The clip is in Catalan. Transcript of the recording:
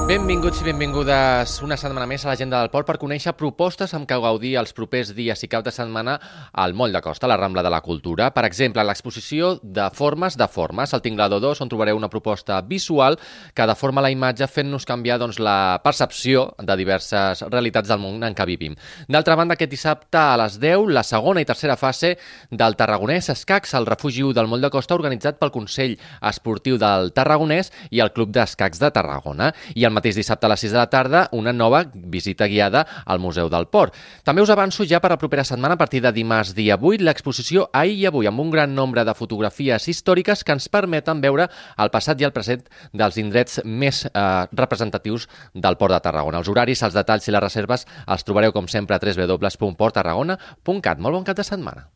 Benvinguts i benvingudes una setmana més a l'Agenda del Port per conèixer propostes amb què gaudir els propers dies i cap de setmana al Moll de Costa, a la Rambla de la Cultura. Per exemple, l'exposició de formes, al Tinglador 2, on trobareu una proposta visual que deforma la imatge fent-nos canviar la percepció de diverses realitats del món en què vivim. D'altra banda, aquest dissabte a les 10, la segona i tercera fase del Tarragonès Escacs, al refugi 1 del Moll de Costa, organitzat pel Consell Esportiu del Tarragonès i el Club d'Escacs de Tarragona. I el mateix dissabte a les 6 de la tarda, una nova visita guiada al Museu del Port. També us avanço ja per la propera setmana, a partir de dimarts dia 8, l'exposició Ahir i Avui, amb un gran nombre de fotografies històriques que ens permeten veure el passat i el present dels indrets més representatius del Port de Tarragona. Els horaris, els detalls i les reserves els trobareu, com sempre, a www.porttarragona.cat. Molt bon cap de setmana.